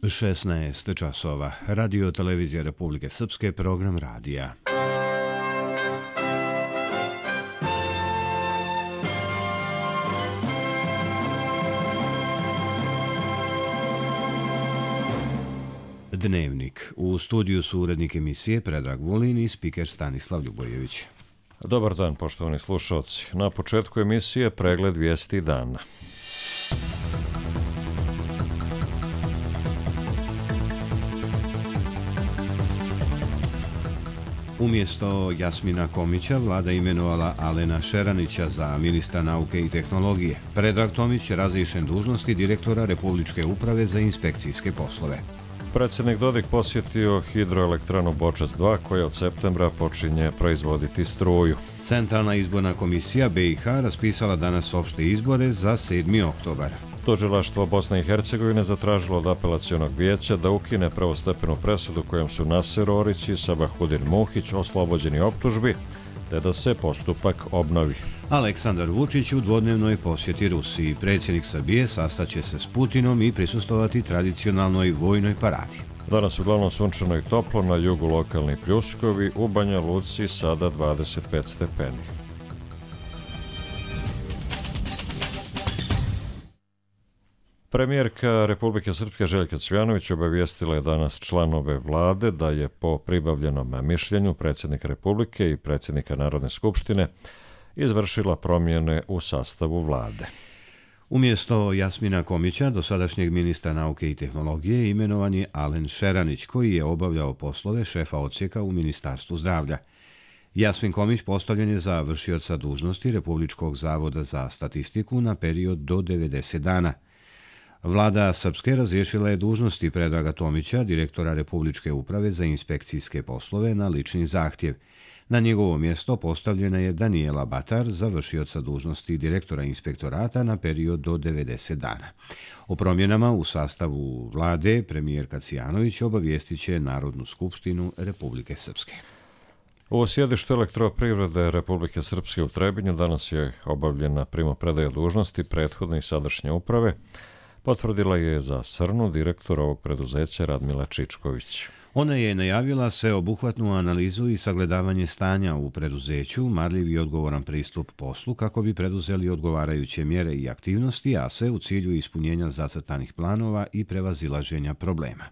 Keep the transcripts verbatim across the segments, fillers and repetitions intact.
šesnaest časova. Radio televizija Republike Srpske, program radija. Dnevnik. U studiju su urednik emisije Predrag Vulin i spiker Stanislav Ljubojević. Dobar dan, poštovani slušalci. Na početku emisije pregled vijesti dana. Umjesto Jasmina Komića, vlada imenovala Alena Šeranića za ministra nauke i tehnologije. Predrag Tomić razriješen dužnosti direktora Republičke uprave za inspekcijske poslove. Predsjednik Dodik posjetio hidroelektranu Bočac dva koja od septembra počinje proizvoditi struju. Centralna izborna komisija B i H raspisala danas opšte izbore za sedmi oktobar. Tužilaštvo Bosne i Hercegovine zatražilo od apelacionog vijeća da ukine prvostepenu presudu kojom su Naser Orić i Sabahudin Muhić oslobođeni optužbi, te da se postupak obnovi. Aleksandar Vučić u dvodnevnoj posjeti Rusiji. Predsjednik Srbije sastaće se s Putinom i prisustovati tradicionalnoj vojnoj paradi. Danas uglavnom sunčano i toplo, na jugu lokalni pljuskovi, u Banja Luci sada dvadeset pet stepeni. Premijerka Republike Srpske Željka Cvjanović obavijestila je danas članove vlade da je po pribavljenom mišljenju predsjednika Republike i predsjednika Narodne skupštine izvršila promjene u sastavu vlade. Umjesto Jasmina Komića, dosadašnjeg ministra nauke i tehnologije, imenovan je Alen Šeranić, koji je obavljao poslove šefa odsjeka u Ministarstvu zdravlja. Jasmin Komić postavljen je za vršioca dužnosti Republičkog zavoda za statistiku na period do devedeset dana. Vlada Srpske razriješila je dužnosti Predraga Tomića, direktora Republičke uprave za inspekcijske poslove, na lični zahtjev. Na njegovo mjesto postavljena je Danijela Batar, za vršioca dužnosti direktora inspektorata na period do devedeset dana. O promjenama u sastavu vlade premijerka Cvjanović obavijestit će Narodnu skupštinu Republike Srpske. U sjedištu Elektroprivrede Republike Srpske u Trebinju danas je obavljena primopredaja dužnosti prethodne i sadašnje uprave. Potvrdila je za Srnu direktor ovog preduzeća Radmila Čičković. Ona je najavila sveobuhvatnu analizu i sagledavanje stanja u preduzeću, marljiv i odgovoran pristup poslu kako bi preduzeli odgovarajuće mjere i aktivnosti, a sve u cilju ispunjenja zacrtanih planova i prevazilaženja problema.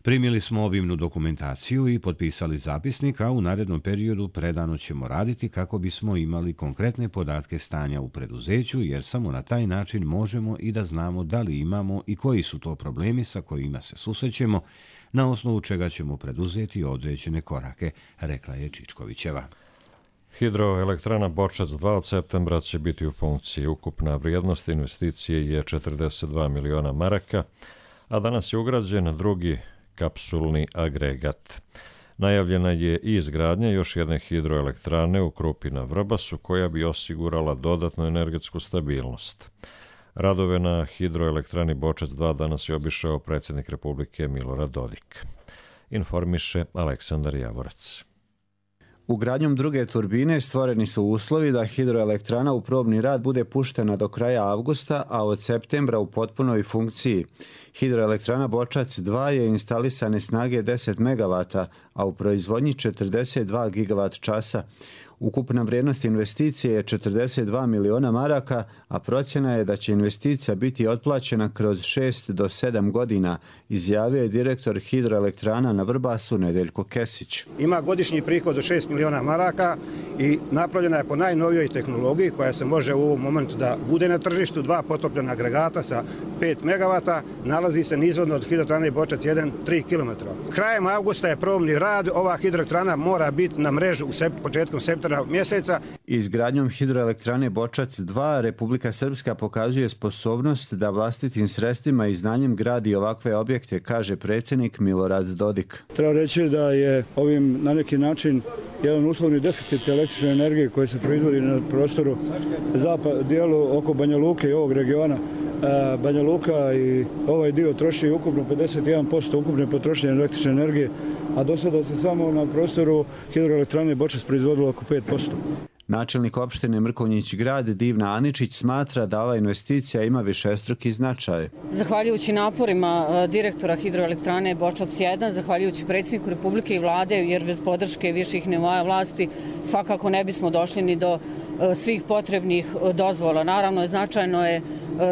Primili smo obimnu dokumentaciju i potpisali zapisnik, a u narednom periodu predano ćemo raditi kako bismo imali konkretne podatke stanja u preduzeću, jer samo na taj način možemo i da znamo da li imamo i koji su to problemi sa kojima se susrećemo, na osnovu čega ćemo preduzeti određene korake, rekla je Čičkovićeva. Hidroelektrana Bočac dva od septembra će biti u funkciji. Ukupna vrijednost investicije je četrdeset dva miliona maraka, a danas je ugrađen drugi kapsulni agregat. Najavljena je i izgradnja još jedne hidroelektrane u Krupi na Vrbasu koja bi osigurala dodatnu energetsku stabilnost. Radove na hidroelektrani Bočac dva danas je obišao predsjednik Republike Milorad Dodik. Informiše Aleksandar Javorac. Ugradnjom druge turbine stvoreni su uslovi da hidroelektrana u probni rad bude puštena do kraja avgusta, a od septembra u potpunoj funkciji. Hidroelektrana Bočac dva je instalisane snage deset megavata, a u proizvodnji četrdeset dva gigavat časa. Ukupna vrijednost investicije je četrdeset dva miliona maraka, a procjena je da će investicija biti otplaćena kroz šest do sedam godina, izjavio je direktor hidroelektrana na Vrbasu Nedeljko Kesić. Ima godišnji prihod od šest miliona maraka i napravljena je po najnovijoj tehnologiji koja se može u ovom momentu da bude na tržištu. Dva potopljena agregata sa pet megavata, nalazi se nizvodno od hidroelektrane Bočac jedan tri kilometra. Krajem avgusta je probni rad, ova hidroelektrana mora biti na mrežu u sept, početkom septembra mjeseca. Izgradnjom hidroelektrane Bočac dva Republika Srpska pokazuje sposobnost da vlastitim sredstvima i znanjem gradi ovakve objekte, kaže predsjednik Milorad Dodik. Treba reći da je ovim na neki način jedan uslovni deficit električne energije koji se proizvodi na prostoru zapad, dijelu oko Banja Luke i ovog regiona. Banja Luka i ovaj dio troši ukupno pedeset jedan posto ukupne potrošnje električne energije, a do sada se samo na prostoru hidroelektrane Bočac proizvodilo oko pet posto. Načelnik opštine Mrkonjić Grad Divna Aničić smatra da ova investicija ima višestruki značaj. Zahvaljujući naporima direktora hidroelektrane Bočac jedan, zahvaljujući predsjedniku Republike i vlade, jer bez podrške viših nivoa vlasti svakako ne bismo došli ni do svih potrebnih dozvola. Naravno, značajno je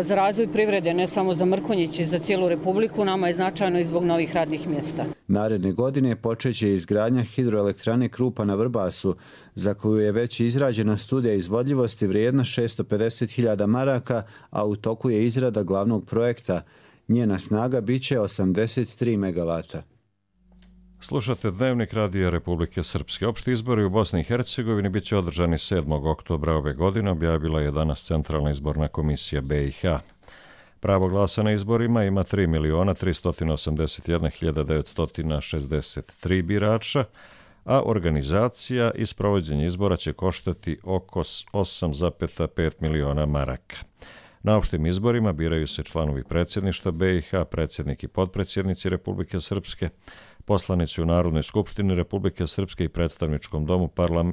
za razvoj privrede, ne samo za Mrkonjić i za cijelu Republiku, nama je značajno i zbog novih radnih mjesta. Naredne godine počeće izgradnja hidroelektrane Krupa na Vrbasu, za koju je već izrađena studija izvodljivosti vrijedna šesto pedeset hiljada maraka, a u toku je izrada glavnog projekta. Njena snaga biće osamdeset tri megavata. Slušate Dnevnik Radija Republike Srpske. Opšti izbori u Bosni i Hercegovini bit će održani sedmog oktobra ove godine, objavila je danas Centralna izborna komisija B i H. Pravo glasa na izborima ima tri miliona tristo osamdeset jedna hiljada devetsto šezdeset tri birača, a organizacija i sprovođenje izbora će koštati oko osam zarez pet miliona maraka. Na opštim izborima biraju se članovi predsjedništva B i H, predsjednik i potpredsjednici Republike Srpske, poslanici u Narodnoj skupštini Republike Srpske i predstavničkom domu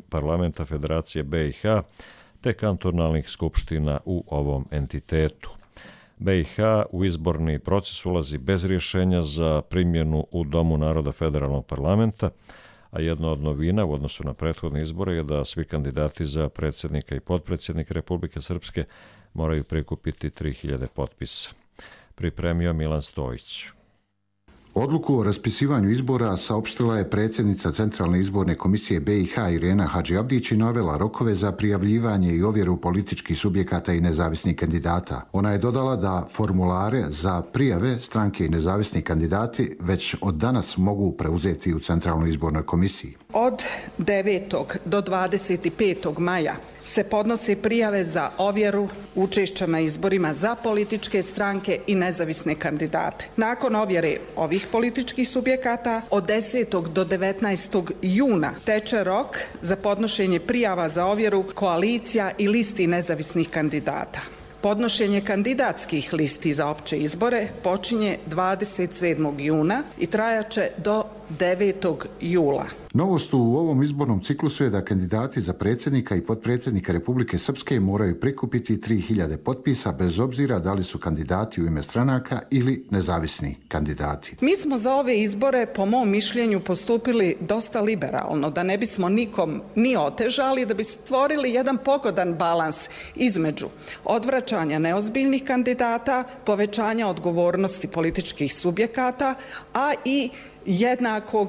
Parlamenta Federacije B i H, te kantonalnih skupština u ovom entitetu. B i H u izborni proces ulazi bez rješenja za primjenu u Domu naroda Federalnog parlamenta, a jedna od novina u odnosu na prethodne izbore je da svi kandidati za predsjednika i potpredsjednika Republike Srpske moraju prikupiti tri hiljade potpisa. Pripremio Milan Stojić. Odluku o raspisivanju izbora saopštila je predsjednica Centralne izborne komisije B i H Irena Hadžiabdić i navela rokove za prijavljivanje i ovjeru političkih subjekata i nezavisnih kandidata. Ona je dodala da formulare za prijave stranke i nezavisni kandidati već od danas mogu preuzeti u Centralnoj izbornoj komisiji. Od devetog do dvadeset petog maja se podnose prijave za ovjeru učešća na izborima za političke stranke i nezavisne kandidate. Nakon ovjere ovih političkih subjekata od desetog do devetnaestog juna teče rok za podnošenje prijava za ovjeru koalicija i listi nezavisnih kandidata. Podnošenje kandidatskih listi za opće izbore počinje dvadeset sedmog juna i trajaće do devetog jula. Novost u ovom izbornom ciklusu je da kandidati za predsjednika i potpredsjednika Republike Srpske moraju prikupiti tri hiljade potpisa bez obzira da li su kandidati u ime stranaka ili nezavisni kandidati. Mi smo za ove izbore, po mom mišljenju, postupili dosta liberalno, da ne bismo nikom ni otežali, da bi stvorili jedan pogodan balans između odvraćanja neozbiljnih kandidata, povećanja odgovornosti političkih subjekata, a i jednakog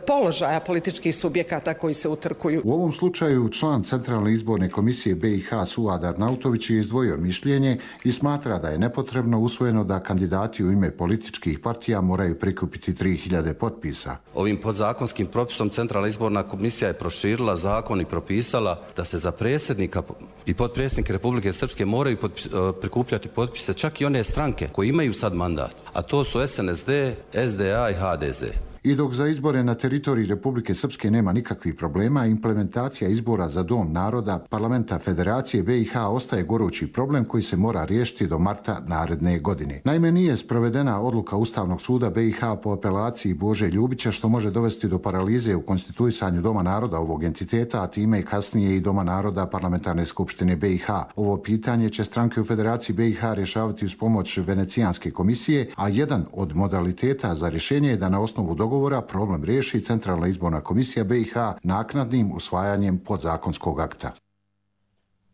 položaja političkih subjekata koji se utrkuju. U ovom slučaju član Centralne izborne komisije B i H Suad Arnautović je izdvojio mišljenje i smatra da je nepotrebno usvojeno da kandidati u ime političkih partija moraju prikupiti tri hiljade potpisa. Ovim podzakonskim propisom Centralna izborna komisija je proširila zakon i propisala da se za predsjednika i potpredsjednike Republike Srpske moraju potpis, prikupljati potpise čak i one stranke koje imaju sad mandat, a to su S N S D, S D A i H D Z. I dok za izbore na teritoriji Republike Srpske nema nikakvih problema, implementacija izbora za Dom naroda Parlamenta Federacije B i H ostaje gorući problem koji se mora riješiti do marta naredne godine. Naime, nije sprovedena odluka Ustavnog suda B i H po apelaciji Bože Ljubića, što može dovesti do paralize u konstituisanju Doma naroda ovog entiteta, a time kasnije i Doma naroda Parlamentarne skupštine B i H. Ovo pitanje će stranke u Federaciji B i H rješavati uz pomoć Venecijanske komisije, a jedan od modaliteta za rješenje je da na osnovu dogovora Dogovora problem riješi Centralna izborna komisija B i H naknadnim usvajanjem podzakonskog akta.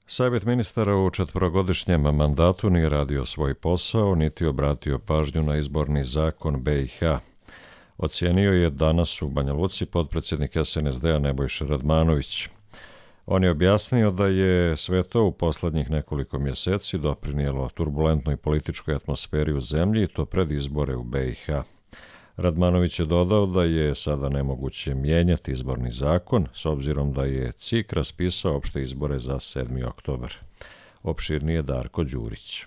Savjet ministara u četvorogodišnjem mandatu nije radio svoj posao, niti obratio pažnju na izborni zakon B i H. Ocijenio je danas u Banja Luci potpredsjednik S N S D-a Nebojša Radmanović. On je objasnio da je sve to u posljednjih nekoliko mjeseci doprinijelo turbulentnoj političkoj atmosferi u zemlji i to pred izbore u B i H. Radmanović je dodao da je sada nemoguće mijenjati izborni zakon s obzirom da je C I K raspisao opšte izbore za sedmi oktobar. Opširnije Darko Đurić.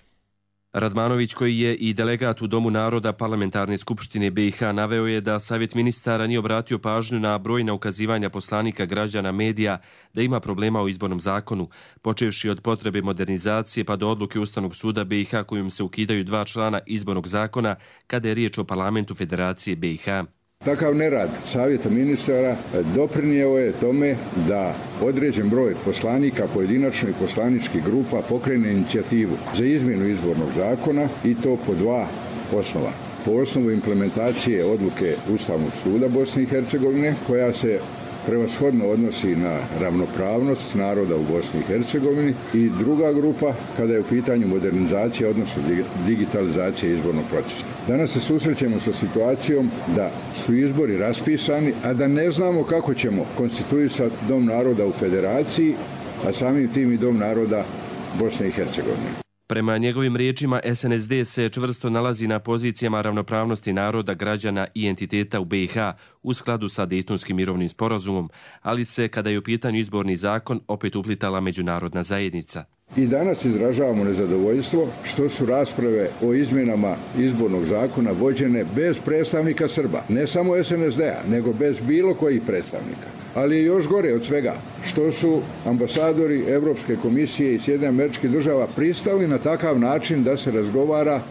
Radmanović, koji je i delegat u Domu naroda Parlamentarne skupštine B i H, naveo je da Savjet ministara nije obratio pažnju na brojna ukazivanja poslanika, građana, medija da ima problema u izbornom zakonu, počevši od potrebe modernizacije pa do odluke Ustavnog suda B i H kojom se ukidaju dva člana izbornog zakona kada je riječ o Parlamentu Federacije B i H. Takav nerad savjeta ministara doprinijeo je tome da određen broj poslanika, pojedinačno i poslaničkih grupa pokrene inicijativu za izmjenu izbornog zakona i to po dva osnova. Po osnovu implementacije odluke Ustavnog suda Bosne i Hercegovine koja se prevashodno odnosi na ravnopravnost naroda u Bosni i Hercegovini i druga grupa kada je u pitanju modernizacija, odnosno digitalizacija izbornog procesa. Danas se susrećemo sa situacijom da su izbori raspisani, a da ne znamo kako ćemo konstituisati Dom naroda u Federaciji, a samim tim i Dom naroda Bosne i Hercegovine. Prema njegovim riječima, S N S D se čvrsto nalazi na pozicijama ravnopravnosti naroda, građana i entiteta u B i H u skladu sa Dejtonskim mirovnim sporazumom, ali se, kada je u pitanju izborni zakon, opet uplitala međunarodna zajednica. I danas izražavamo nezadovoljstvo što su rasprave o izmjenama izbornog zakona vođene bez predstavnika Srba. Ne samo S N S D-a, nego bez bilo kojih predstavnika. Ali je još gore od svega što su ambasadori Evropske komisije i Sjedinjenih Američkih Država pristali na takav način da se razgovara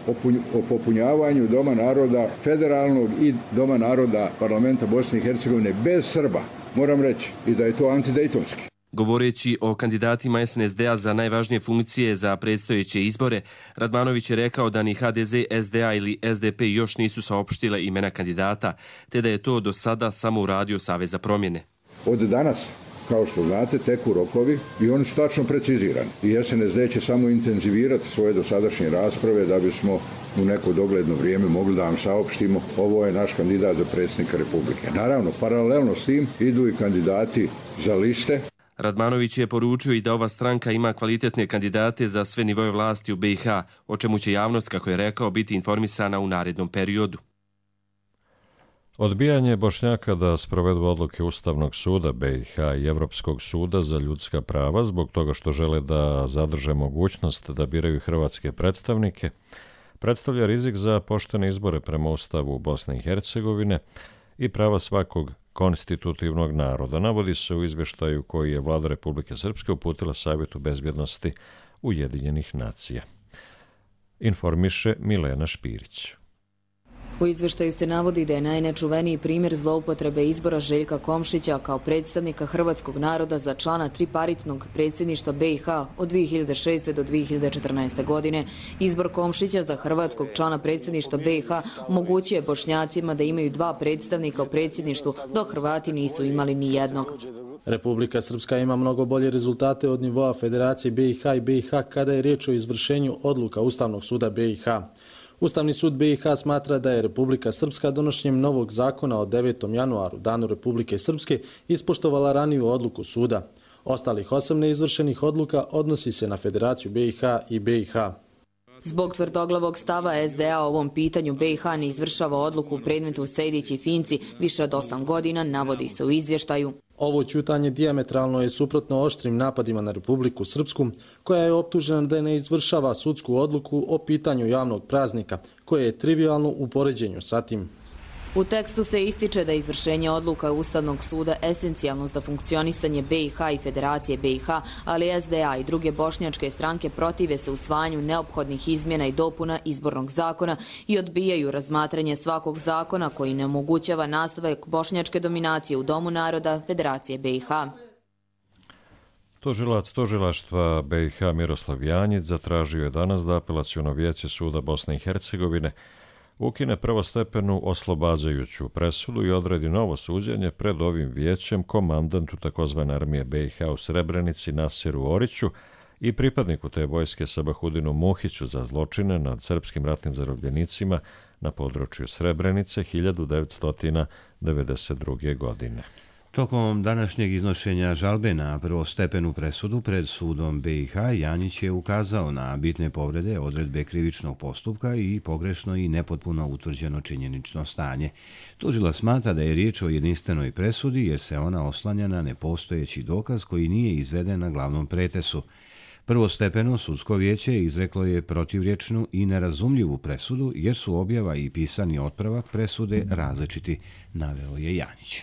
o popunjavanju Doma naroda federalnog i Doma naroda parlamenta Bosne i Hercegovine bez Srba. Moram reći i da je to antidejtonski. Govoreći o kandidatima S N S D-a za najvažnije funkcije za predstojeće izbore, Radmanović je rekao da ni H D Z, S D A ili S D P još nisu saopštile imena kandidata, te da je to do sada samo uradio Savez za promjene. Od danas, kao što znate, teku rokovi i oni su tačno precizirani. I S N S D će samo intenzivirati svoje dosadašnje rasprave da bismo u neko dogledno vrijeme mogli da vam saopštimo ovo je naš kandidat za predsjednika Republike. Naravno, paralelno s tim idu i kandidati za liste. Radmanović je poručio i da ova stranka ima kvalitetne kandidate za sve nivoje vlasti u B i H, o čemu će javnost, kako je rekao, biti informisana u narednom periodu. Odbijanje Bošnjaka da sprovedu odluke Ustavnog suda B i H i Evropskog suda za ljudska prava zbog toga što žele da zadrže mogućnost da biraju hrvatske predstavnike, predstavlja rizik za poštene izbore prema Ustavu Bosne i Hercegovine i prava svakog konstitutivnog naroda, navodi se u izvještaju koji je Vlada Republike Srpske uputila Savjetu bezbjednosti Ujedinjenih nacija. Informiše Milena Špirić. U izveštaju se navodi da je najnečuveniji primjer zloupotrebe izbora Željka Komšića kao predstavnika hrvatskog naroda za člana triparitnog predsjedništva B i H od dvije hiljade šeste. do dvije hiljade četrnaeste. godine. Izbor Komšića za hrvatskog člana predsjedništva B i H omogućuje Bošnjacima da imaju dva predstavnika u predsjedništvu, dok Hrvati nisu imali ni jednog. Republika Srpska ima mnogo bolje rezultate od nivoa Federacije B i H i B i H kada je riječ o izvršenju odluka Ustavnog suda B i H. Ustavni sud B i H smatra da je Republika Srpska donošenjem novog zakona od devetom januaru, danu Republike Srpske, ispoštovala raniju odluku suda. Ostalih osam neizvršenih odluka odnosi se na Federaciju B i H i B i H. Zbog tvrdoglavog stava S D A o ovom pitanju B i H ne izvršava odluku u predmetu Sejdić i Finci više od osam godina, navodi se u izvještaju. Ovo ćutanje dijametralno je suprotno oštrim napadima na Republiku Srpsku, koja je optužena da ne izvršava sudsku odluku o pitanju javnog praznika, koje je trivialno u poređenju sa tim. U tekstu se ističe da je izvršenje odluka Ustavnog suda esencijalno za funkcionisanje B i H i Federacije B i H, ali S D A i druge bošnjačke stranke protive se usvajanju neophodnih izmjena i dopuna izbornog zakona i odbijaju razmatranje svakog zakona koji ne omogućava nastavak bošnjačke dominacije u Domu naroda Federacije B i H. Tužilac tužilaštva B i H Miroslav Janjić zatražio je danas da Apelaciono vijeće suda Bosne i Hercegovine ukine prvostepenu oslobađajuću presudu i odredi novo suđenje pred ovim vijećem komandantu takozvane armije B i H u Srebrenici Nasiru Oriću i pripadniku te vojske Sabahudinu Muhiću za zločine nad srpskim ratnim zarobljenicima na području Srebrenice hiljadu devetsto devedeset druge. godine. Tokom današnjeg iznošenja žalbe na prvostepenu presudu pred sudom B i H, Janjić je ukazao na bitne povrede odredbe krivičnog postupka i pogrešno i nepotpuno utvrđeno činjenično stanje. Tužilac smatra da je riječ o jedinstvenoj presudi jer se ona oslanja na nepostojeći dokaz koji nije izveden na glavnom pretesu. Prvostepeno sudsko vijeće izreklo je protivriječnu i nerazumljivu presudu jer su objava i pisani otpravak presude različiti, naveo je Janjić.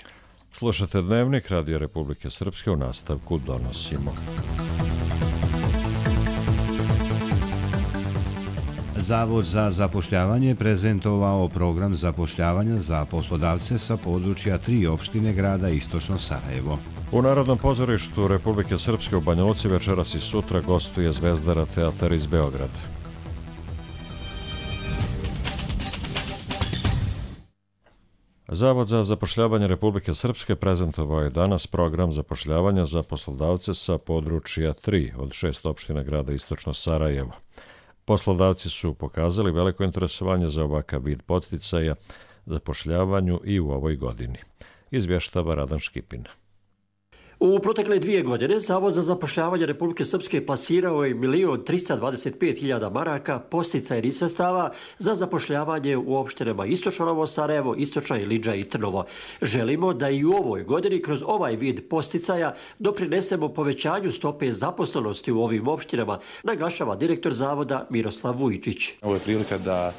Slušate Dnevnik Radio Republike Srpske, u nastavku donosimo. Zavod za zapošljavanje prezentovao program zapošljavanja za poslodavce sa područja tri opštine grada Istočno Sarajevo. U Narodnom pozorištu Republike Srpske u Banja Luci večeras i sutra gostuje Zvezdara teatar iz Beograda. Zavod za zapošljavanje Republike Srpske prezentovao je danas program zapošljavanja za poslodavce sa područja tri od šest opština grada Istočno Sarajevo. Poslodavci su pokazali veliko interesovanje za ovakav vid podsticaja zapošljavanju i u ovoj godini. Izvještava Radan Škipin. U protekle dvije godine Zavod za zapošljavanje Republike Srpske plasirao je milion trista dvadeset pet hiljada maraka podsticajnih sredstava za zapošljavanje u opštinama Istočno Novo Sarajevo, Istočna Ilidža i Trnovo. Želimo da i u ovoj godini kroz ovaj vid podsticaja doprinesemo povećanju stope zaposlenosti u ovim opštinama, naglašava direktor Zavoda Miroslav Vujičić. Ovo je prilika da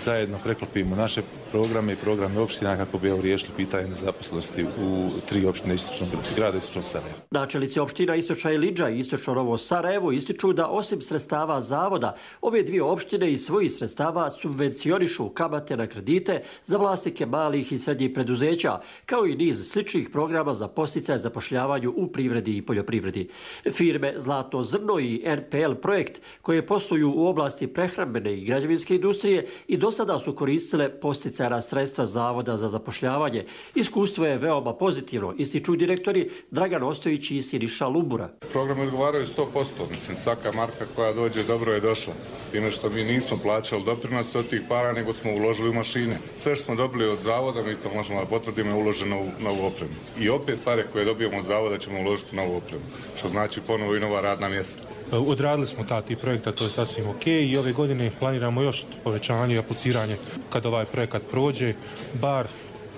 zajedno preklopimo naše programe i programe opština kako bi riješili pitanje nezaposlenosti u tri opštine istočnog grada Istočnog Sarajeva. Načelnici opština Istočna Ilidža i Istočno Novo Sarajevo ističu da osim sredstava zavoda, ove dvije opštine iz svojih sredstava subvencionišu kamate na kredite za vlasnike malih i srednjih preduzeća, kao i niz sličnih programa za podsticaj zapošljavanju u privredi i poljoprivredi. Firme Zlatno zrno i N P L projekt, koje posluju u oblasti prehrambene i građevinske industrije, i do sada su koristile podsticajna sredstva Zavoda za zapošljavanje. Iskustvo je veoma pozitivno, ističu direktori Dragan Ostojić i Siniša Lumbura. Programi odgovaraju sto posto, mislim, svaka marka koja dođe dobro je došla. Time što mi nismo plaćali doprinose od tih para, nego smo uložili u mašine. Sve što smo dobili od Zavoda, mi to možemo da potvrdimo, je uloženo u novu opremu. I opet pare koje dobijemo od Zavoda ćemo uložiti u novu opremu, što znači ponovo i nova radna mjesta. Odradili smo ta ti projekta, to je sasvim ok, i ove godine planiramo još povećanje i apliciranje kad ovaj projekat prođe, bar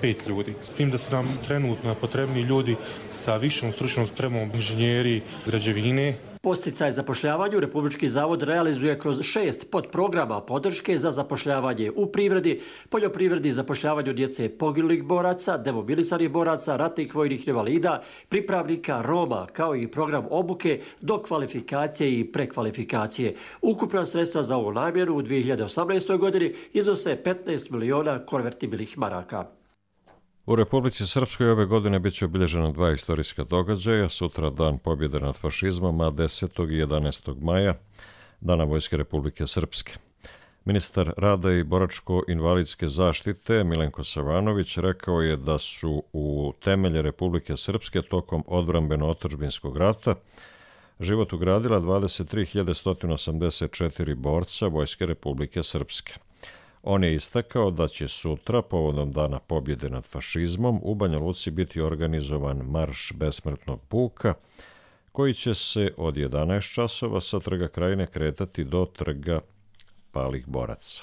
pet ljudi. S tim da su nam trenutno potrebni ljudi sa višom stručnom spremom, inženjeri, građevine. Podsticaj zapošljavanju Republički zavod realizuje kroz šest podprograma podrške za zapošljavanje u privredi, poljoprivredi, zapošljavanju djece poginulih boraca, demobilisanih boraca, ratnih vojnih invalida, pripravnika, Roma, kao i program obuke do kvalifikacije i prekvalifikacije. Ukupna sredstva za ovu namjenu u dvije hiljade osamnaestoj. godini iznose petnaest miliona konvertibilnih maraka. U Republici Srpskoj ove godine bit će obilježena dva istorijska događaja. Sutra dan pobjede nad fašizmom, a desetog i jedanaestog maja Dana Vojske Republike Srpske. Ministar rada i boračko-invalidske zaštite Milenko Savanović rekao je da su u temelje Republike Srpske tokom odbrambeno-otadžbinskog rata život ugradila dvadeset tri hiljade sto osamdeset četiri borca Vojske Republike Srpske. On je istakao da će sutra, povodom Dana pobjede nad fašizmom, u Banja Luci biti organizovan marš besmrtnog puka, koji će se od jedanaest časova sa Trga Krajine kretati do Trga palih boraca.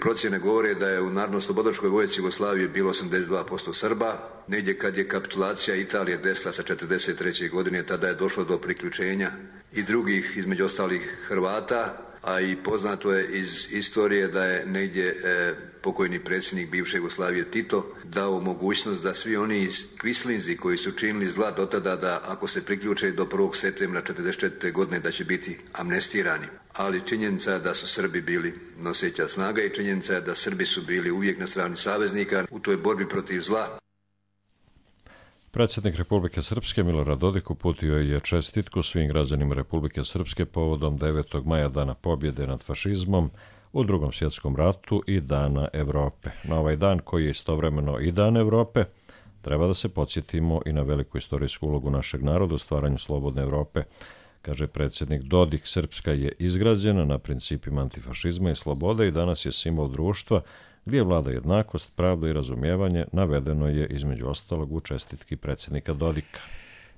Procjene govore da je u Narodno-slobodačkoj vojsci Jugoslavije bilo osamdeset dva posto Srba. Negdje kad je kapitulacija Italije desila sa četrdeset treće. godine, tada je došlo do priključenja i drugih, između ostalih Hrvata, a i poznato je iz istorije da je negdje e, pokojni predsjednik bivše Jugoslavije Tito dao mogućnost da svi oni kvislinzi koji su činili zla do tada, da ako se priključe do prvog septembra četrdeset četvrte. godine da će biti amnestirani. Ali činjenica je da su Srbi bili noseća snaga i činjenica je da Srbi su bili uvijek na strani saveznika u toj borbi protiv zla. Predsjednik Republike Srpske Milorad Dodik uputio je čestitku svim građanima Republike Srpske povodom devetog maja Dana pobjede nad fašizmom u Drugom svjetskom ratu i Dana Evrope. Na ovaj dan, koji je istovremeno i Dan Evrope, treba da se podsjetimo i na veliku istorijsku ulogu našeg naroda u stvaranju slobodne Evrope. Kaže predsjednik Dodik, Srpska je izgrađena na principima antifašizma i slobode i danas je simbol društva gdje vlada jednakost, pravda i razumijevanje, navedeno je između ostalog u čestitki predsjednika Dodika.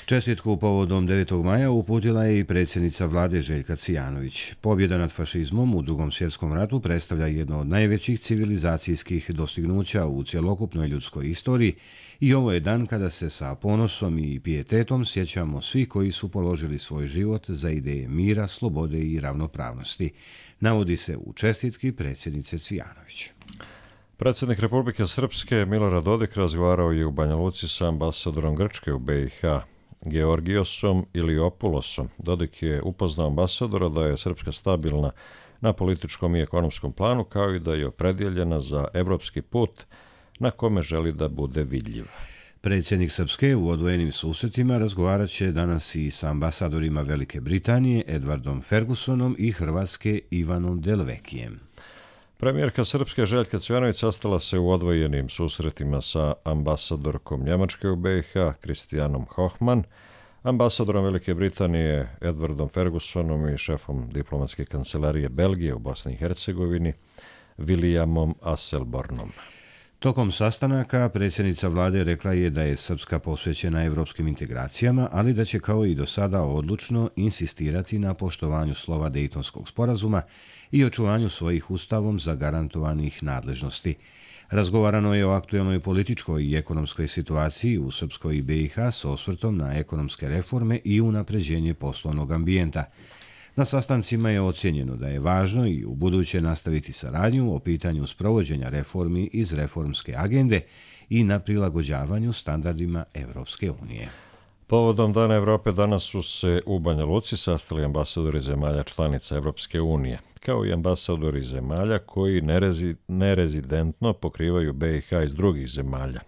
Čestitku povodom devetog maja uputila je i predsjednica vlade Željka Cijanović. Pobjeda nad fašizmom u Drugom svjetskom ratu predstavlja jedno od najvećih civilizacijskih dostignuća u cjelokupnoj ljudskoj istoriji i ovo je dan kada se sa ponosom i pijetetom sjećamo svi koji su položili svoj život za ideje mira, slobode i ravnopravnosti, navodi se u čestitki predsjednice Cijanović. Predsjednik Republike Srpske Milorad Dodik razgovarao je u Banja Luci sa ambasadorom Grčke u B i H Georgijosom Iliopulosom. Dodik je upoznao ambasadora da je Srpska stabilna na političkom i ekonomskom planu, kao i da je opredjeljena za evropski put na kome želi da bude vidljiva. Predsjednik Srpske u odvojenim susretima razgovarat će danas i sa ambasadorima Velike Britanije Edwardom Fergusonom i Hrvatske Ivanom Delvekijem. Premijerka Srpske Željka Cvjanović sastala se u odvojenim susretima sa ambasadorkom Njemačke u B i H Kristijanom Hochman, ambasadorom Velike Britanije Edwardom Fergusonom i šefom diplomatske kancelarije Belgije u Bosni i Hercegovini Williamom Asselbornom. Tokom sastanaka predsjednica vlade rekla je da je Srpska posvećena evropskim integracijama, ali da će kao i do sada odlučno insistirati na poštovanju slova Dejtonskog sporazuma i očuvanju svojih ustavom zagarantovanih nadležnosti. Razgovarano je o aktuelnoj političkoj i ekonomskoj situaciji u Srpskoj i B i H s osvrtom na ekonomske reforme i unapređenje poslovnog ambijenta. Na sastancima je ocjenjeno da je važno i u buduće nastaviti saradnju o pitanju sprovođenja reformi iz reformske agende i na prilagođavanju standardima Evropske unije. Povodom Dana Evrope danas su se u Banja Luci sastali ambasadori zemalja članica Evropske unije, kao i ambasadori zemalja koji nerezi, nerezidentno pokrivaju B i H iz drugih zemalja.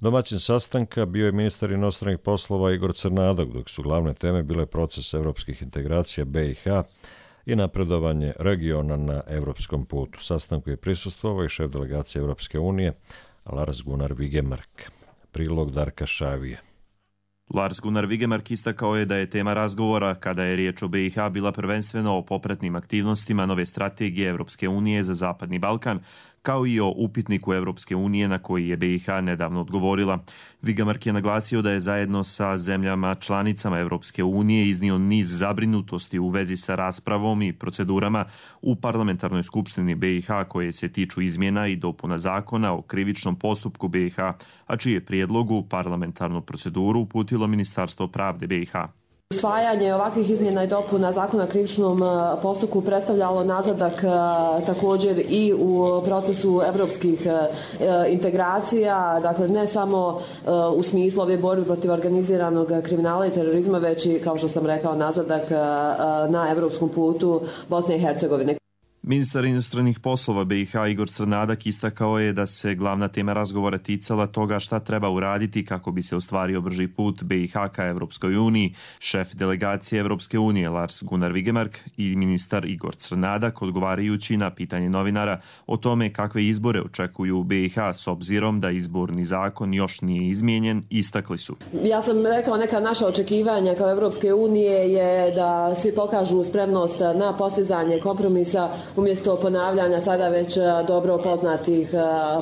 Domaćin sastanka bio je ministar inostranih poslova Igor Crnadak, dok su glavne teme bile proces evropskih integracija B i H i napredovanje regiona na evropskom putu. Sastanku je prisustvovao i šef delegacije Evropske unije Lars Gunnar Vigemark. Prilog Darka Šavije. Lars Gunnar Vigemark istakao je da je tema razgovora, kada je riječ o B i H, bila prvenstveno o popratnim aktivnostima nove strategije Evropske unije za Zapadni Balkan, kao i o upitniku Evropske unije na koji je B i H nedavno odgovorila. Vigemark je naglasio da je zajedno sa zemljama članicama Evropske unije iznio niz zabrinutosti u vezi sa raspravom i procedurama u parlamentarnoj skupštini B i H koje se tiču izmjena i dopuna zakona o krivičnom postupku B i H, a čije prijedlogu parlamentarnu proceduru uputilo Ministarstvo pravde B i H. Usvajanje ovakvih izmjena i dopuna zakona o krivičnom postupku predstavljalo nazadak također i u procesu evropskih integracija, dakle ne samo u smislu ove borbe protiv organiziranog kriminala i terorizma, već i, kao što sam rekao, nazadak na evropskom putu Bosne i Hercegovine. Ministar inostranih poslova B i H Igor Crnadak istakao je da se glavna tema razgovora ticala toga šta treba uraditi kako bi se ostvario brži put B i H ka Evropskoj uniji. Šef delegacije Evropske unije Lars Gunnar Vigemark i ministar Igor Crnadak, odgovarajući na pitanje novinara o tome kakve izbore očekuju B i H s obzirom da izborni zakon još nije izmijenjen, istakli su. Ja sam rekao, neka naša očekivanja kao Evropske unije je da svi pokažu spremnost na postizanje kompromisa umjesto ponavljanja sada već dobro poznatih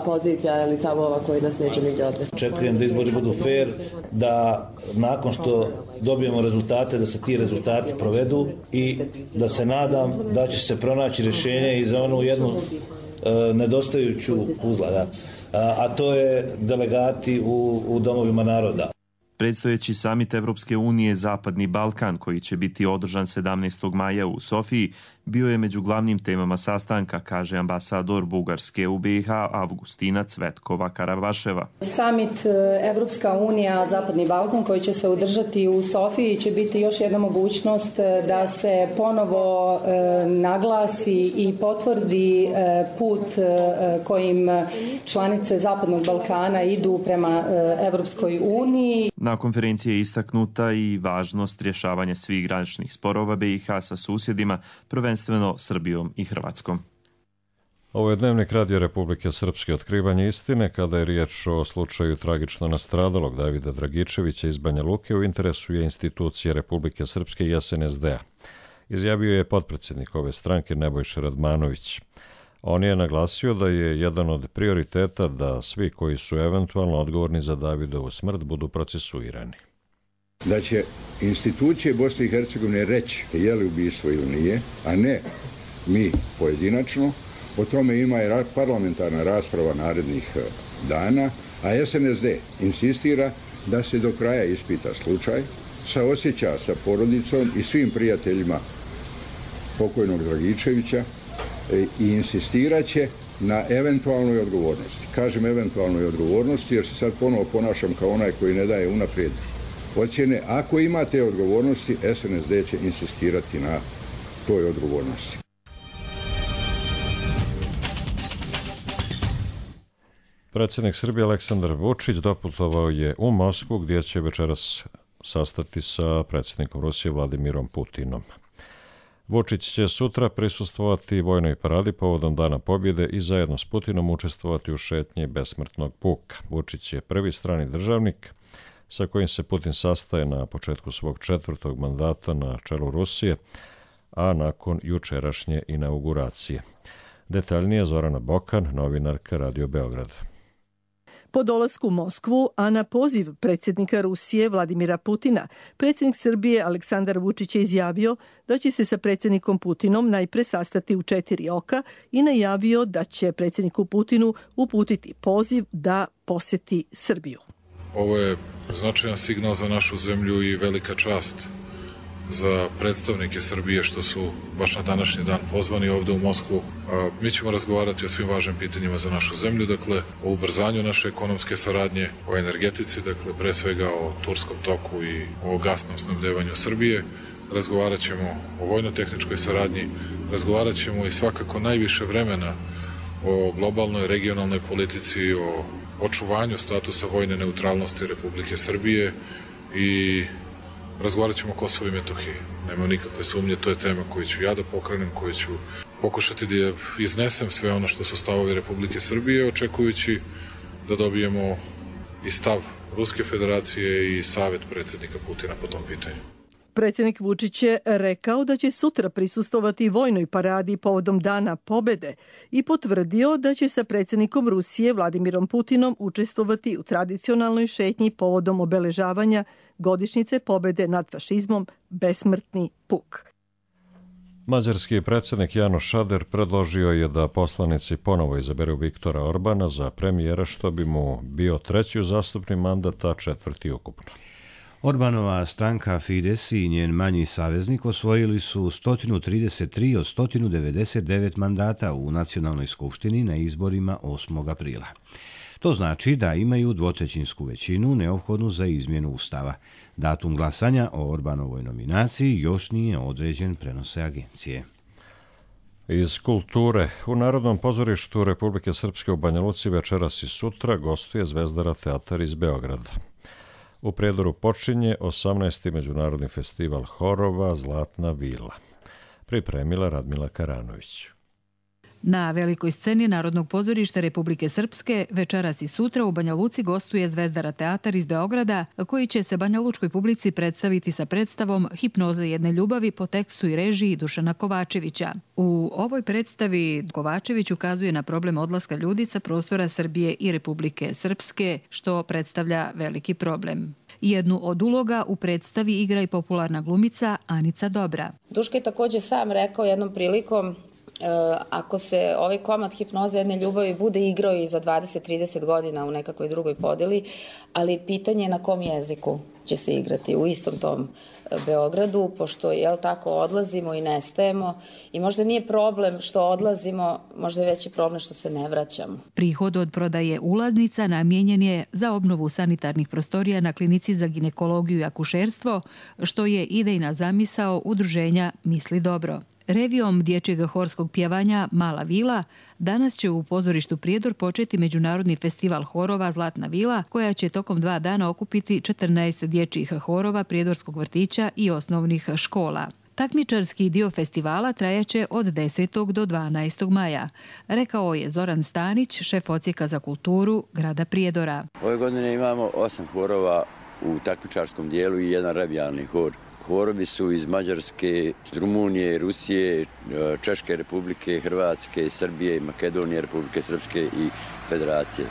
pozicija ili stavova koji nas neće nigdje odvesti. Očekujem da izbori budu fair, da nakon što dobijemo rezultate, da se ti rezultati provedu i da se nadam da će se pronaći rješenje i za onu jednu e, nedostajuću uzla, da. a, a to je delegati u, u domovima naroda. Predstojeći samit Evropske unije Zapadni Balkan, koji će biti održan sedamnaestog maja u Sofiji, bio je među glavnim temama sastanka, kaže ambasador Bugarske u B i H Avgustina Cvetkova Karavaševa. Samit Evropska unija Zapadni Balkan koji će se održati u Sofiji će biti još jedna mogućnost da se ponovo naglasi i potvrdi put kojim članice Zapadnog Balkana idu prema Evropskoj uniji. Na konferenciji je istaknuta i važnost rješavanja svih graničnih sporova B i H sa susjedima, prvenstveno Srbijom i Hrvatskom. Ovo je Dnevnik Radio Republike Srpske, otkrivanje istine kada je riječ o slučaju tragično nastradalog Davida Dragičevića iz Banja Luke u interesu je institucije Republike Srpske i S N S D-a. Izjavio je potpredsjednik ove stranke Nebojša Radmanović. On je naglasio da je jedan od prioriteta da svi koji su eventualno odgovorni za Davidovu smrt budu procesuirani. Da će institucije Bosne i Hercegovine reći je li ubistvo ili nije, a ne mi pojedinačno. O tome ima i parlamentarna rasprava narednih dana, a S N S D insistira da se do kraja ispita slučaj, saosjeća sa porodicom i svim prijateljima pokojnog Dragičevića i insistirat će na eventualnoj odgovornosti. Kažem eventualnoj odgovornosti jer se sad ponovo ponašam kao onaj koji ne daje unaprijed ocjene. Ako imate odgovornosti, S N S D će insistirati na toj odgovornosti. Predsjednik Srbije Aleksandar Vučić doputovao je u Moskvu gdje će večeras sastati sa predsjednikom Rusije Vladimirom Putinom. Vučić će sutra prisustvovati vojnoj paradi povodom Dana pobjede i zajedno s Putinom učestvovati u šetnji besmrtnog puka. Vučić je prvi strani državnik sa kojim se Putin sastaje na početku svog četvrtog mandata na čelu Rusije, a nakon jučerašnje inauguracije. Detaljnije Zorana Bokan, novinarka Radio Beograd. Po dolasku u Moskvu, a na poziv predsjednika Rusije Vladimira Putina, predsjednik Srbije Aleksandar Vučić je izjavio da će se sa predsjednikom Putinom najpre sastati u četiri oka i najavio da će predsjedniku Putinu uputiti poziv da posjeti Srbiju. Ovo je značajan signal za našu zemlju i velika čast za predstavnike Srbije što su baš na današnji dan pozvani ovde u Moskvu. Mi ćemo razgovarati o svim važnim pitanjima za našu zemlju, dakle o ubrzanju naše ekonomske saradnje, o energetici, dakle pre svega o Turskom toku i o gasnom snabdevanju Srbije. Razgovarat ćemo o vojno-tehničkoj saradnji, razgovarat ćemo i svakako najviše vremena o globalnoj regionalnoj politici, o očuvanju statusa vojne neutralnosti Republike Srbije i razgovarat ćemo o Kosovu i Metohiji. Nema nikakve sumnje, to je tema koju ću ja da pokrenem, koju ću pokušati da iznesem sve ono što su stavovi Republike Srbije, očekujući da dobijemo i stav Ruske federacije i savjet predsjednika Putina po tom pitanju. Predsjednik Vučić je rekao da će sutra prisustovati vojnoj paradi povodom Dana pobjede i potvrdio da će sa predsjednikom Rusije Vladimirom Putinom učestvovati u tradicionalnoj šetnji povodom obeležavanja godišnjice pobjede nad fašizmom Besmrtni puk. Mađarski predsjednik Janoš Šader predložio je da poslanici ponovo izaberu Viktora Orbana za premijera, što bi mu bio treći uzastopni mandat, a četvrti ukupno. Orbanova stranka Fides i njen manji saveznik osvojili su sto trideset tri od sto devedeset devet mandata u Nacionalnoj skupštini na izborima osmog aprila. To znači da imaju dvotrećinsku većinu neophodnu za izmjenu Ustava. Datum glasanja o Orbanovoj nominaciji još nije određen, prenose agencije. Iz kulture. U Narodnom pozorištu Republike Srpske u Banja Luci večeras i sutra gostuje Zvezdara teatar iz Beograda. U Prijedoru počinje osamnaesti međunarodni festival horova Zlatna vila. Pripremila Radmila Karanović. Na velikoj sceni Narodnog pozorišta Republike Srpske večeras i sutra u Banja Luci gostuje Zvezdara teatar iz Beograda, koji će se banjalučkoj publici predstaviti sa predstavom Hipnoza jedne ljubavi po tekstu i režiji Dušana Kovačevića. U ovoj predstavi Kovačević ukazuje na problem odlaska ljudi sa prostora Srbije i Republike Srpske, što predstavlja veliki problem. Jednu od uloga u predstavi igra i popularna glumica Anica Dobra. Duška je također sam rekao jednom prilikom, ako se ovaj komad Hipnoza jedne ljubavi bude igrao i za dvadeset trideset godina u nekakvoj drugoj podeli, ali pitanje je na kom jeziku će se igrati u istom tom Beogradu, pošto jel tako odlazimo i nestajemo i možda nije problem što odlazimo, možda je veći problem što se ne vraćamo. Prihod od prodaje ulaznica namijenjen je za obnovu sanitarnih prostorija na klinici za ginekologiju i akušerstvo, što je idejna zamisao udruženja Misli dobro. Revijom dječjeg horskog pjevanja Mala vila danas će u pozorištu Prijedor početi Međunarodni festival horova Zlatna vila, koja će tokom dva dana okupiti četrnaest dječjih horova Prijedorskog vrtića i osnovnih škola. Takmičarski dio festivala trajaće od desetog do dvanaestog maja, rekao je Zoran Stanić, šef odsjeka za kulturu grada Prijedora. Ove godine imamo osam horova u takmičarskom dijelu i jedan revijalni hor. Horovi su iz Mađarske, Rumunije, Rusije, Češke republike, Hrvatske, Srbije, Makedonije, Republike Srpske i Federacije.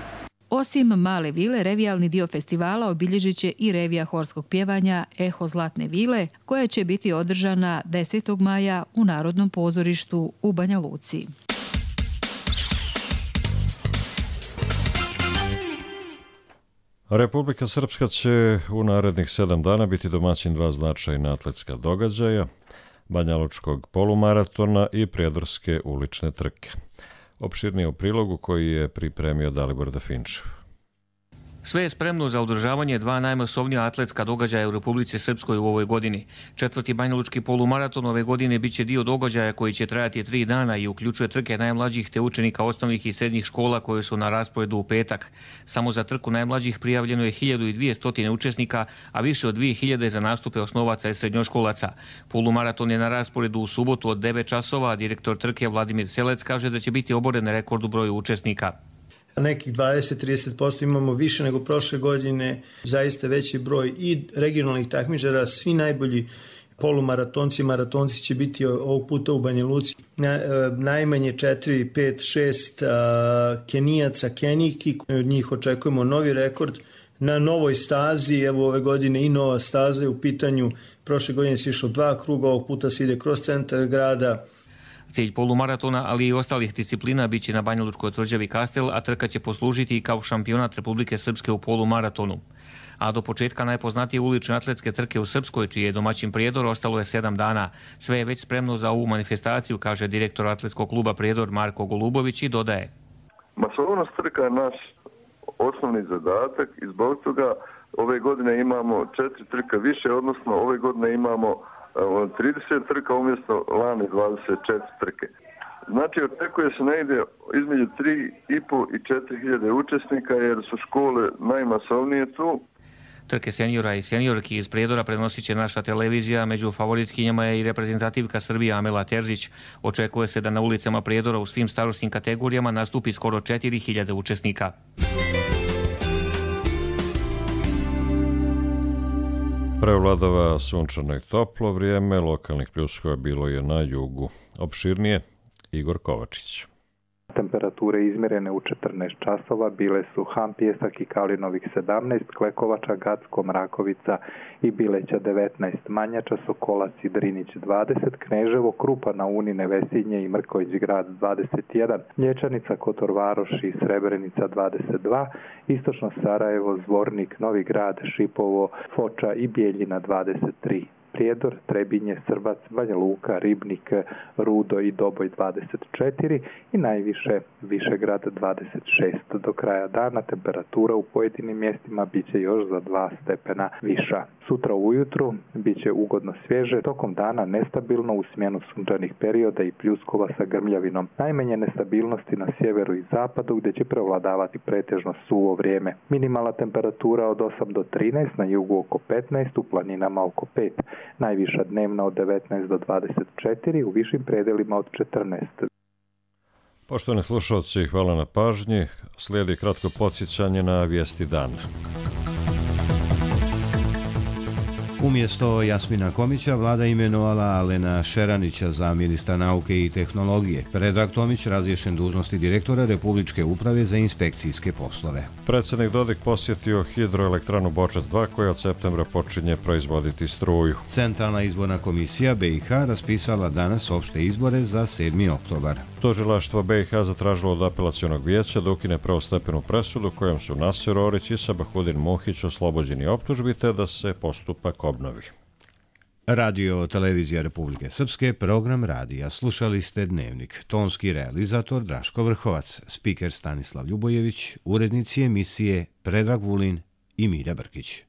Osim Male vile, revijalni dio festivala obilježit će i revija horskog pjevanja Eho Zlatne vile, koja će biti održana desetog maja u Narodnom pozorištu u Banja Luci. Republika Srpska će u narednih sedam dana biti domaćin dva značajna atletska događaja, banjalučkog polumaratona i prijedorske ulične trke. Opširnije u prilogu koji je pripremio Dalibor Dafinčev. Sve je spremno za održavanje dva najmasovnija atletska događaja u Republici Srpskoj u ovoj godini. Četvrti banjalučki polumaraton ove godine biće dio događaja koji će trajati tri dana i uključuje trke najmlađih te učenika osnovnih i srednjih škola koje su na rasporedu u petak. Samo za trku najmlađih prijavljeno je hiljadu dvjesto učesnika, a više od dvije hiljade za nastupe osnovaca i srednjoškolaca. Polumaraton je na rasporedu u subotu od devet časova, a direktor trke Vladimir Selec kaže da će biti oboren rekord u broju učesnika. Nekih dvadeset do trideset posto imamo više nego prošle godine, zaista veći broj i regionalnih takmičara, svi najbolji polumaratonci, maratonci će biti ovog puta u Banja Luci. Na, najmanje četiri, pet, šest Kenijaca, Kenijki, od njih očekujemo novi rekord na novoj stazi, evo ove godine i nova staza je u pitanju, prošle godine se išlo dva kruga, ovog puta se ide kroz centar grada. Cilj polumaratona, ali i ostalih disciplina biće na banjalučkoj tvrđavi Kastel, a trka će poslužiti i kao šampionat Republike Srpske u polumaratonu. A do početka najpoznatije ulične atletske trke u Srpskoj, čiji je domaćin Prijedor, ostalo je sedam dana. Sve je već spremno za ovu manifestaciju, kaže direktor atletskog kluba Prijedor Marko Golubović i dodaje. Masovnost trka je naš osnovni zadatak i zbog toga ove godine imamo četiri trka više, odnosno ove godine imamo trideset trka umjesto lani dvadeset četiri trke. Znači, očekuje se negdje između tri i pol i četiri hiljade učesnika jer su škole najmasovnije tu. Trke seniora i seniorki iz Prijedora prenosit će naša televizija, među favoritkinjama je i reprezentativka Srbije Amela Terzić. Očekuje se da na ulicama Prijedora u svim starosnim kategorijama nastupi skoro četiri hiljade učesnika. Prevladava sunčano i toplo vrijeme, lokalnih pljuskova bilo je na jugu. Opširnije, Igor Kovačić. Temperature izmjerene u četrnaest časova bile su Ham, Pjesak i Kalinovih sedamnaest, Klekovača, Gacko, Mrakovica i Bileća devetnaest, Manjača, Sokolac i Drinić dvadeset, Kneževo, Krupa na Uni, Nevesinje i Mrković grad dvadeset jedan, Mlječanica, Kotor Varoš i Srebrenica dvadeset dva, Istočno Sarajevo, Zvornik, Novi Grad, Šipovo, Foča i Bijeljina dvadeset tri. Prijedor, Trebinje, Srbac, Banja Luka, Ribnik, Rudo i Doboj dvadeset četiri i najviše Višegrad dvadeset šest. Do kraja dana temperatura u pojedinim mjestima biće još za dva stepena viša. Sutra ujutru biće ugodno svježe, tokom dana nestabilno u smjenu sunčanih perioda i pljuskova sa grmljavinom. Najmanje nestabilnosti na sjeveru i zapadu gdje će prevladavati pretežno suvo vrijeme. Minimalna temperatura od osam do trinaest, na jugu oko petnaest, u planinama oko pet. Najviša dnevna od devetnaest do dvadeset četiri, u višim predelima od četrnaest. Poštovani slušalci, hvala na pažnji. Slijedi kratko podsjećanje na vijesti dana. Umjesto Jasmina Komića, vlada imenovala Alena Šeranića za ministra nauke i tehnologije. Predrag Tomić razriješen dužnosti direktora Republičke uprave za inspekcijske poslove. Predsjednik Dodik posjetio hidroelektranu Bočac dva koja od septembra počinje proizvoditi struju. Centralna izborna komisija B i H raspisala danas opšte izbore za sedmi oktobar. Tužilaštvo B i H zatražilo od apelacionog vijeća da ukine prvostepenu presudu kojom su Nasir Orić i Sabahudin Muhić oslobođeni optužbi te da se postupak obnovi. Radio Televizija Republike Srpske, program radija. Slušali ste Dnevnik. Tonski realizator Draško Vrhovac, spiker Stanislav Ljubojević, urednici emisije Predrag Vulin i Milja Brkić.